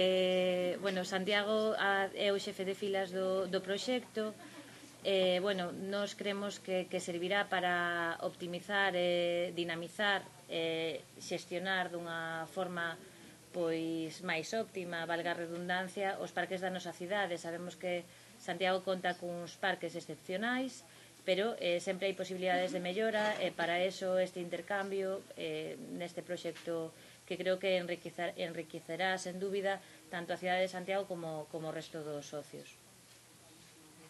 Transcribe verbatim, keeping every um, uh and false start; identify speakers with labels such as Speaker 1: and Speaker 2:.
Speaker 1: Eh, bueno, Santiago é o xefe de filas do, do proxecto. Eh, bueno, nos creemos que, que servirá para optimizar e dinamizar e xestionar dunha forma pois máis óptima, valga a redundancia, os parques da nosa cidade. Sabemos que Santiago conta cuns parques excepcionais, pero eh, sempre hai posibilidades de mellora e para eso este intercambio eh, neste proxecto que creo que enriquecerá sen dúbida tanto a cidade de Santiago como, como o resto dos socios.